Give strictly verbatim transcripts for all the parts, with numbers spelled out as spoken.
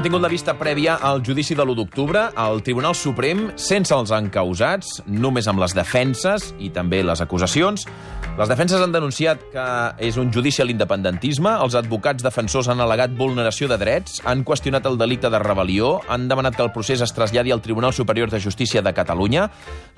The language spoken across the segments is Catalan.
hem tingut la vista prèvia al judici de l'u d'octubre. El Tribunal Suprem, sense els encausats, només amb les defenses i també les acusacions. Les defenses han denunciat que és un judici a l'independentisme, els advocats defensors han al·legat vulneració de drets, han qüestionat el delicte de rebel·lió, han demanat que el procés es traslladi al Tribunal Superior de Justícia de Catalunya.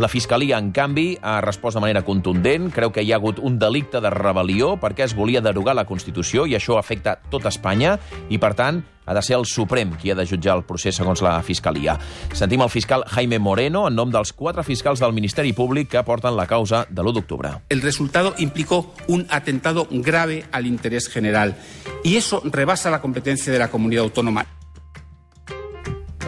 La Fiscalia, en canvi, ha respost de manera contundent, creu que hi ha hagut un delicte de rebel·lió perquè es volia derogar la Constitució i això afecta tot Espanya i, per tant, ha de ser el Suprem qui ha de jutjar el procés segons la Fiscalia. Sentim el fiscal Jaime Moreno en nom dels quatre fiscals del Ministeri Públic que porten la causa de l'u d'octubre. El resultado implicó un atentado grave al interés general y eso rebasa la competencia de la comunidad autónoma.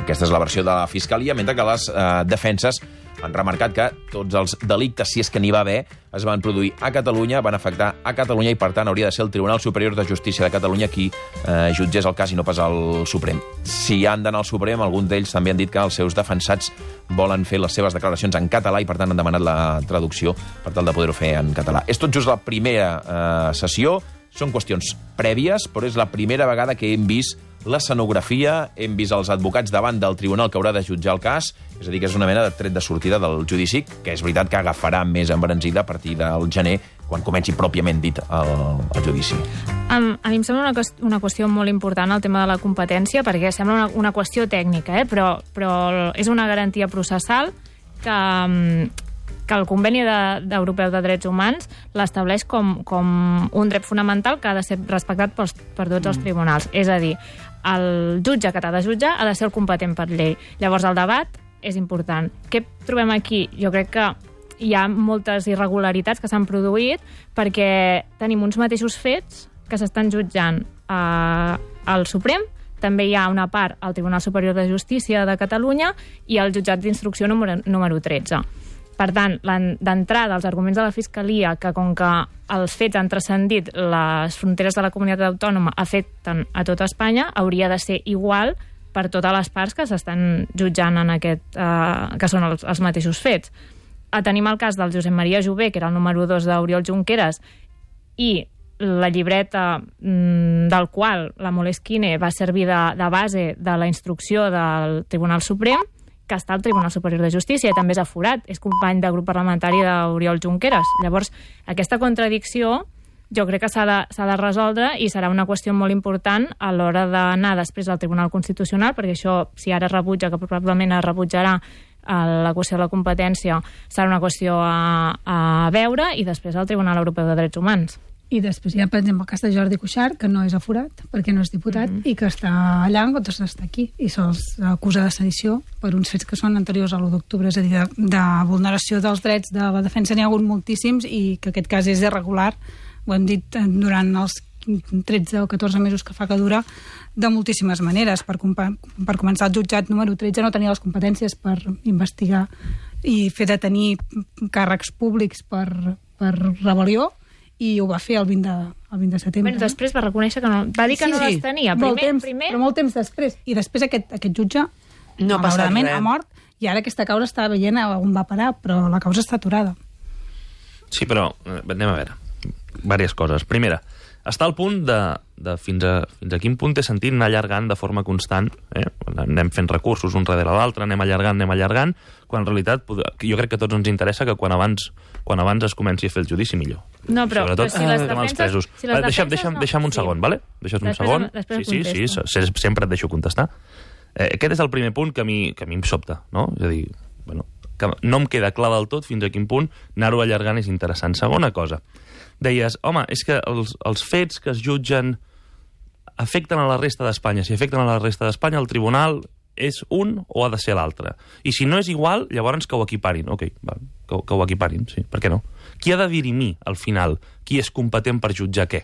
Aquesta és la versió de la Fiscalia, mentre que les eh, defenses han remarcat que tots els delictes, si és que n'hi va haver, es van produir a Catalunya, van afectar a Catalunya i, per tant, hauria de ser el Tribunal Superior de Justícia de Catalunya qui eh, jutgés el cas i no pas el Suprem. Si han d'anar al Suprem, alguns d'ells també han dit que els seus defensats volen fer les seves declaracions en català i, per tant, han demanat la traducció per tal de poder-ho fer en català. És tot just la primera eh, sessió, són qüestions prèvies, però és la primera vegada que hem vist l'escenografia, hem vist els advocats davant del tribunal que haurà de jutjar el cas, és a dir, que és una mena de tret de sortida del judici, que és veritat que agafarà més embranzida a partir del gener, quan comenci pròpiament dit el, el judici. Um, a mi em sembla una, una qüestió molt important el tema de la competència, perquè sembla una, una qüestió tècnica, eh? però, però és una garantia processal que... Um, que el Conveni de, Europeu de Drets Humans l'estableix com, com un dret fonamental que ha de ser respectat pels, per tots els tribunals. És a dir, el jutge que t'ha de jutjar ha de ser el competent per llei. Llavors, el debat és important. Què trobem aquí? Jo crec que hi ha moltes irregularitats que s'han produït perquè tenim uns mateixos fets que s'estan jutjant eh, al Suprem, també hi ha una part al Tribunal Superior de Justícia de Catalunya i al jutjat d'instrucció número, número tretze. Per tant, d'entrada, els arguments de la Fiscalia, que com que els fets han transcendit les fronteres de la comunitat autònoma, afecten a tota Espanya, hauria de ser igual per totes les parts que s'estan jutjant en aquest, eh, que són els, els mateixos fets. A tenim el cas del Josep Maria Jové, que era el número dos d'Oriol Junqueras, i la llibreta mm, del qual la Moleskine va servir de, de base de la instrucció del Tribunal Suprem, que està al Tribunal Superior de Justícia i també és aforat, és company de grup parlamentari d'Oriol Junqueras. Llavors, aquesta contradicció jo crec que s'ha de, s'ha de resoldre i serà una qüestió molt important a l'hora d'anar després al Tribunal Constitucional, perquè això, si ara rebutja, que probablement es rebutjarà la qüestió de la competència, serà una qüestió a, a veure, i després al Tribunal Europeu de Drets Humans. I després hi ha, per exemple, el cas de Jordi Cuixart, que no és aforat, perquè no és diputat, mm-hmm. i que està allà en comptes d'estar aquí, i se'ls acusa de sedició per uns fets que són anteriors a l'u d'octubre, és a dir, de, de vulneració dels drets de la defensa n'hi ha hagut moltíssims, i que aquest cas és irregular, ho hem dit durant els tretze o catorze mesos que fa que dura, de moltíssimes maneres. Per, per començar, el jutjat número tretze no tenia les competències per investigar i fer detenir càrrecs públics per, per rebel·lió, i ho va fer el vint de, el vint de setembre. Bueno, després va reconèixer que no... Va dir que sí, no les tenia. Primer, molt temps, primer... però molt temps després. I després aquest, aquest jutge, no malauradament, ha mort, i ara aquesta causa està veient on va parar, però la causa està aturada. Sí, però anem a veure. Vàries coses. Primera, està al punt de, de fins, a, fins a quin punt té sentit anar allargant de forma constant, eh? Anem fent recursos un darrere l'altre, anem allargant, anem allargant, quan en realitat jo crec que a tots ens interessa que quan abans, quan abans es comenci a fer el judici millor. No, però, Sobretot, però si les defenses... els presos. Si les deixa'm, defenses deixa'm, no... deixa'm un sí. segon, vale? Deixa'm un segon. Després sí, sí, sí, sempre et deixo contestar. Eh, aquest és el primer punt que a mi, que a mi em sobta, no? És a dir, bueno, que no em queda clar del tot fins a quin punt anar-ho allargant és interessant. Segona cosa, deies, home, és que els, els fets que es jutgen afecten a la resta d'Espanya. Si afecten a la resta d'Espanya, el tribunal és un o ha de ser l'altre. I si no és igual, llavors que ho equiparin. Ok, va, que, que ho equiparin, sí, per què no? Qui ha de dirimir, al final, qui és competent per jutjar què?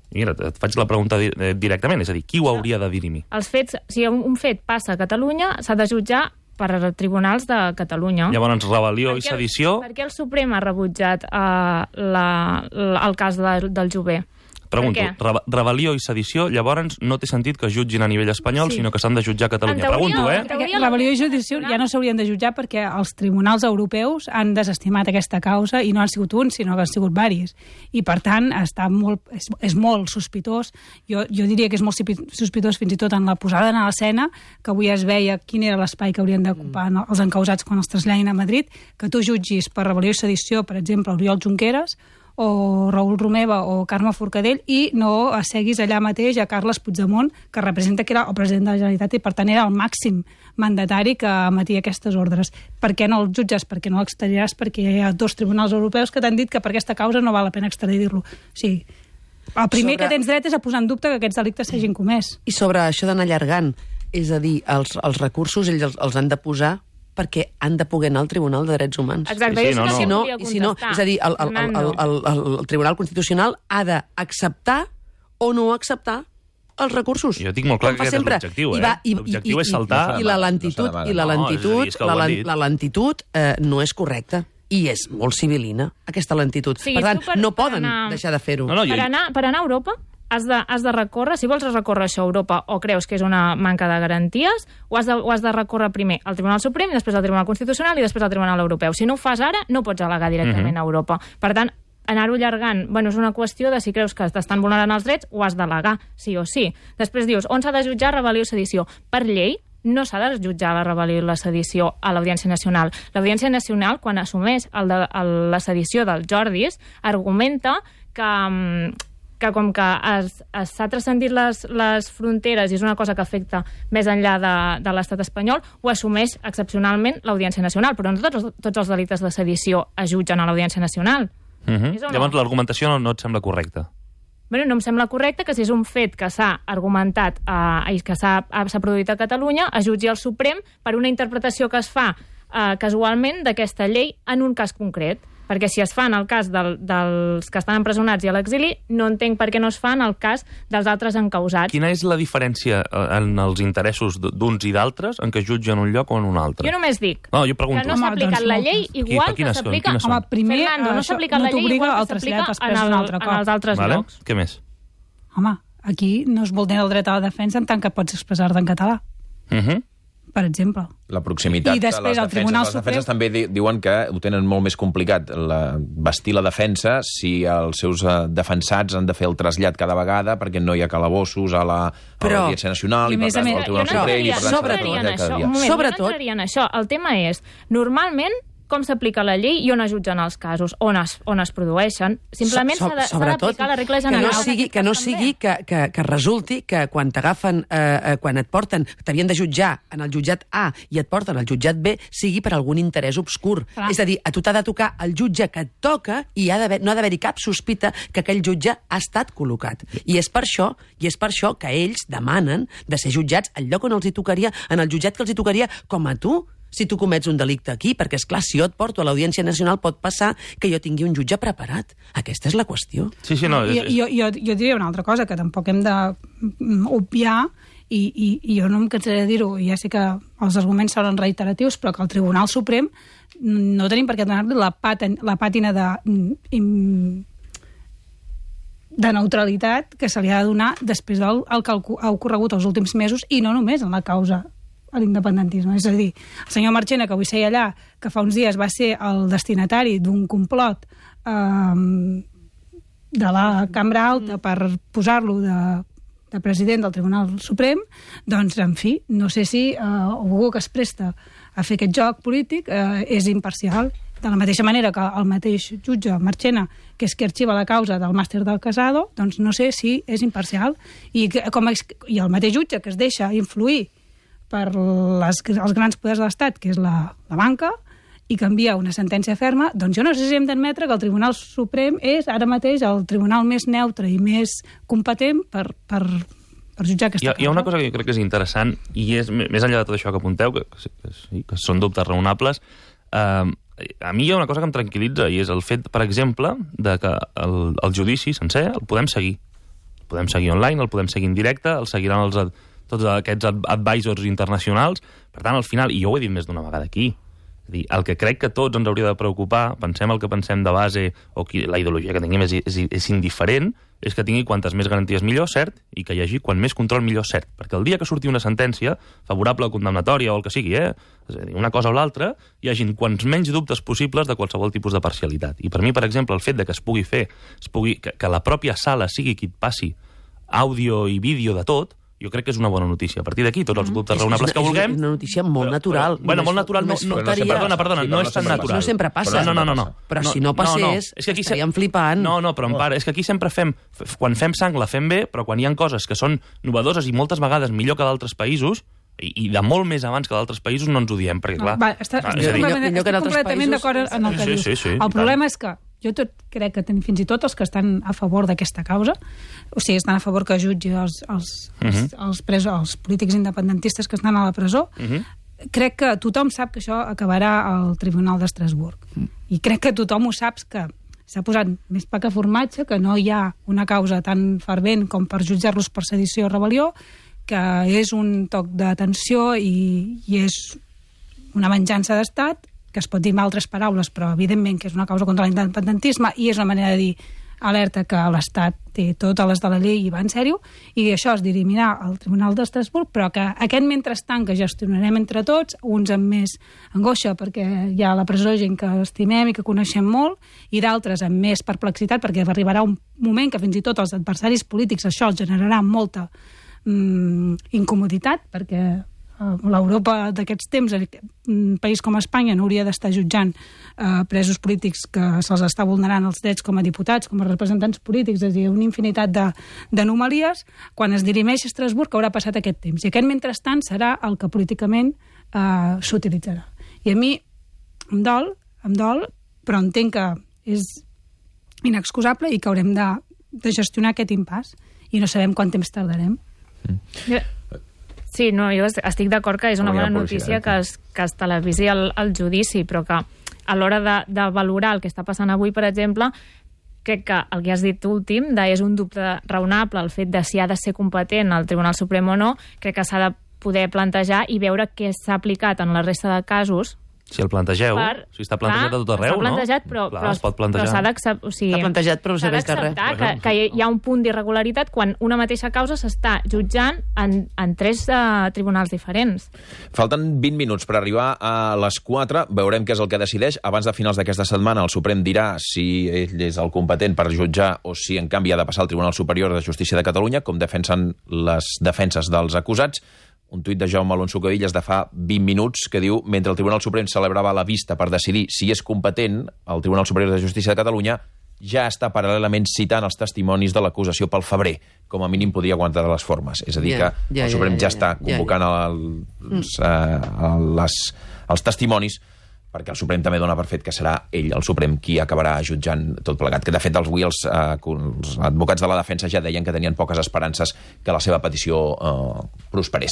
Mira, et faig la pregunta di directament, és a dir, qui ho hauria de dirimir? Els fets, si un fet passa a Catalunya, s'ha de jutjar per tribunals de Catalunya. Llavors, rebel·lió i sedició... Per què el Suprem ha rebutjat uh, la, la, el cas de, del Jové? Pregunto, Per què? re rebel·lió i sedició, llavors no té sentit que es jutgin a nivell espanyol, Sí. sinó que s'han de jutjar a Catalunya. En teoria, Pregunto, eh? en teoria, Perquè rebel·lió i judici ja no s'haurien de jutjar perquè els tribunals europeus han desestimat aquesta causa i no han sigut un, sinó que han sigut varis. I, per tant, està molt, és, és molt sospitós. Jo, jo diria que és molt sospitós fins i tot en la posada en l'escena, que avui es veia quin era l'espai que haurien d'ocupar mm. els encausats quan els traslladin a Madrid, que tu jutgis per rebel·lió i sedició, per exemple, Oriol Junqueras, o Raül Romeva o Carme Forcadell, i no asseguis allà mateix a Carles Puigdemont, que representa que era el president de la Generalitat i, per tant, era el màxim mandatari que emetia aquestes ordres. Per què no el jutges? Per què no l'extradiràs? Perquè hi ha dos tribunals europeus que t'han dit que per aquesta causa no val la pena extradir-lo. O sigui, el primer Sobre... que tens dret és a posar en dubte que aquests delictes s'hagin comès. I sobre això d'anar allargant, és a dir, els, els recursos ells els, els han de posar perquè han de poder anar al Tribunal de Drets Humans. Exacte, Sí, sí, jo no, sí que no. volia I si no, contestar. és a dir, el, el, el, el, el, el Tribunal Constitucional ha d'acceptar o no acceptar els recursos. Jo tinc molt clar Com que fa aquest és sempre. l'objectiu, I va- eh? i- L'objectiu i- és saltar- I la lentitud, No s'ha i la No, és a dir, lentitud, és que ho la, han len- dit. la lentitud eh, no és correcta. I és molt civilina, aquesta lentitud. Sí, per tant, tu per- no per poden anar- deixar de fer-ho. No, no, jo... Per anar, per anar a Europa has de, has de recórrer, si vols recórrer això a Europa o creus que és una manca de garanties, ho has de, ho has de recórrer primer al Tribunal Suprem, després al Tribunal Constitucional i després al Tribunal Europeu. Si no ho fas ara, no pots al·legar directament a Europa. Per tant, anar-ho allargant, bueno, és una qüestió de si creus que t'estan vulnerant els drets, ho has d'al·legar, sí o sí. Després dius, on s'ha de jutjar rebel·lió i sedició? Per llei, no s'ha de jutjar la rebel·lió i la sedició a l'Audiència Nacional. L'Audiència Nacional, quan assumeix el de, el, la sedició dels Jordis, argumenta que, que com que es- es s'ha transcendit les, les fronteres i és una cosa que afecta més enllà de, de l'estat espanyol, ho assumeix excepcionalment l'Audiència Nacional, però no tots, tots els delictes de sedició es jutgen a l'Audiència Nacional. Uh -huh. És o no? Llavors l'argumentació no, no et sembla correcta. Bueno, no em sembla correcte que si és un fet que s'ha argumentat eh, i que s'ha s'ha produït a Catalunya, es jutgi al Suprem per una interpretació que es fa eh, casualment d'aquesta llei en un cas concret. Perquè si es fa en el cas del, dels que estan empresonats i a l'exili, no entenc per què no es fa en el cas dels altres encausats. Quina és la diferència eh, en els interessos d- d'uns i d'altres en què jutgen un lloc o en un altre? Jo només dic No, jo pregunto. que no s'ha Home, aplicat doncs la moltes. llei Qui- igual quines que són? s'aplica... Quines són? Home, primer, Fernando, no això s'ha aplicat no la llei t'obliga igual al que trasllat s'aplica després en, un el, altre en cop. els altres Vale? llocs. Què més? Home, aquí no es vulnera el dret a la defensa en tant que pots expressar-te en català, Uh -huh. per exemple. La proximitat I després de el les defenses. Tribunal Les defenses Suprem- també di diuen que ho tenen molt més complicat, la, vestir la defensa, si els seus uh, defensats han de fer el trasllat cada vegada perquè no hi ha calabossos a la- a Però- l'Audiència Nacional i i, per més a tant, més- al Tribunal Jo no Suprem i, per tant, s'ha de sobretot, entraria en treballar cada això. dia. Un moment, Sobretot- jo no entraria en això. El tema és, normalment, com s'aplica la llei i on es jutgen els casos, on es, on es produeixen. Simplement So- so- s'ha de- s'ha sobretot, d'aplicar la regla que general. no sigui, que, no d'aquest cas sigui que, que, que resulti que quan t'agafen, eh, eh, quan et porten, t'havien de jutjar en el jutjat A i et porten al jutjat B, sigui per algun interès obscur. Clar. És a dir, a tu t'ha de tocar el jutge que et toca i ha d'haver- no ha d'haver-hi cap sospita que aquell jutge ha estat col·locat. I és per això i és per això que ells demanen de ser jutjats al lloc on els hi tocaria, en el jutjat que els hi tocaria, com a tu, si tu comets un delicte aquí, perquè, és clar, si jo et porto a l'Audiència Nacional pot passar que jo tingui un jutge preparat. Aquesta és la qüestió. Sí, sí, no. És, I, és... jo, jo, jo diria una altra cosa, que tampoc hem de mm, obviar, i, i, i jo no em cansaré de dir-ho, i ja sé que els arguments seran reiteratius, però que el Tribunal Suprem no tenim per què donar-li la, pàten, la pàtina de, mm, de neutralitat que se li ha de donar després del el que ha ocorregut els últims mesos, i no només en la causa a l'independentisme. És a dir, el senyor Marchena, que avui seia allà, que fa uns dies va ser el destinatari d'un complot eh, de la Cambra Alta per posar-lo de, de president del Tribunal Suprem, doncs, en fi, no sé si eh, algú que es presta a fer aquest joc polític eh, és imparcial. De la mateixa manera que el mateix jutge Marchena, que és qui arxiva la causa del màster del Casado, doncs no sé si és imparcial. I, que, com, i el mateix jutge que es deixa influir per les, els grans poders de l'Estat, que és la, la banca, i canvia una sentència ferma, doncs jo no sé si hem d'admetre que el Tribunal Suprem és ara mateix el tribunal més neutre i més competent per, per, per jutjar aquesta Hi ha, causa. hi ha una cosa que jo crec que és interessant, i és més enllà de tot això que apunteu, que, que, que, sí, que són dubtes raonables, eh, a mi hi ha una cosa que em tranquil·litza, i és el fet, per exemple, de que el, el judici sencer el podem seguir. El podem seguir online, el podem seguir en directe, el seguiran els, ad- tots aquests ad- advisors internacionals. Per tant, al final, i jo ho he dit més d'una vegada aquí, És dir, el que crec que tots ens hauria de preocupar, pensem el que pensem de base, o qui, la ideologia que tinguem és, és, és indiferent, és que tingui quantes més garanties millor, cert, i que hi hagi quan més control millor, cert. Perquè el dia que surti una sentència, favorable o condemnatòria o el que sigui, eh, és a dir, una cosa o l'altra, hi hagin quants menys dubtes possibles de qualsevol tipus de parcialitat. I per mi, per exemple, el fet de que es pugui fer, es pugui, que, que la pròpia sala sigui qui et passi àudio i vídeo de tot, jo crec que és una bona notícia. A partir d'aquí, tots els dubtes raonables que vulguem... És una notícia molt però, natural. Però, bueno, molt natural no, no, no perdona, perdona, no és tan natural. No sempre passa. No, no, no, no. Però si no passés, no, no. És que aquí estaríem flipant. No, no, però en part, és que aquí sempre fem... Quan fem sang la fem bé, però quan hi ha coses que són novedoses i moltes vegades millor que d'altres països, i, i de molt més abans que d'altres països, no ens ho diem, perquè clar... Va, està, ah, estic millor, millor que en altres completament països. d'acord en el que sí, dius. sí, sí, el problema és que jo tot crec que ten, fins i tot els que estan a favor d'aquesta causa, o sigui, estan a favor que jutgi els, els, Uh-huh. els, els, presos, els polítics independentistes que estan a la presó, Uh-huh. crec que tothom sap que això acabarà al Tribunal d'Estrasburg. Mm. I crec que tothom ho saps que s'ha posat més pa que formatge, que no hi ha una causa tan fervent com per jutjar-los per sedició o rebel·lió, que és un toc d'atenció i, i és una venjança d'estat, que es pot dir amb altres paraules, però evidentment que és una causa contra l'independentisme i és una manera de dir alerta que l'Estat té totes les de la llei i va en sèrio, i això es dirimirà al Tribunal d'Estrasburg, però que aquest mentrestant que gestionarem entre tots, uns amb més angoixa perquè hi ha a la presó gent que estimem i que coneixem molt, i d'altres amb més perplexitat perquè arribarà un moment que fins i tot els adversaris polítics això els generarà molta mm, incomoditat, perquè l'Europa d'aquests temps, un país com Espanya no hauria d'estar jutjant eh, presos polítics que se'ls està vulnerant els drets com a diputats, com a representants polítics, és a dir, una infinitat d'anomalies. Quan es dirimeix a Estrasburg haurà passat aquest temps. I aquest mentrestant serà el que políticament eh, s'utilitzarà. I a mi em dol, em dol, però entenc que és inexcusable i que haurem de, de gestionar aquest impàs i no sabem quant temps tardarem. Mm. Sí, no, jo estic d'acord que és una bona notícia que es, que es televisi el, el judici, però que a l'hora de, de valorar el que està passant avui, per exemple, crec que el que has dit últim, de és un dubte raonable el fet de si ha de ser competent el Tribunal Suprem o no, crec que s'ha de poder plantejar i veure què s'ha aplicat en la resta de casos. Si el plantegeu, per, si està plantejat clar, a tot arreu, està plantejat, no? Però, clar, però, es pot plantejar. però s'ha d'acceptar... O sigui, està plantejat, però no serveix de res. Que, que hi ha un punt d'irregularitat quan una mateixa causa s'està jutjant en, en tres uh, tribunals diferents. Falten vint minuts per arribar a les quatre. Veurem què és el que decideix. Abans de finals d'aquesta setmana, el Suprem dirà si ell és el competent per jutjar o si, en canvi, ha de passar al Tribunal Superior de Justícia de Catalunya, com defensen les defenses dels acusats. Un tuit de Jaume Alonso Cavillas de fa vint minuts que diu: mentre el Tribunal Suprem celebrava la vista per decidir si és competent, el Tribunal Superior de Justícia de Catalunya ja està paral·lelament citant els testimonis de l'acusació pel febrer. Com a mínim podria aguantar les formes. És a dir, yeah, que yeah, el Suprem yeah, yeah, ja està convocant yeah, yeah. Els, uh, les, els testimonis, perquè el Suprem també dona per fet que serà ell, el Suprem, qui acabarà jutjant tot plegat. Que, de fet, avui els, eh, els advocats de la defensa ja deien que tenien poques esperances que la seva petició eh, prosperés.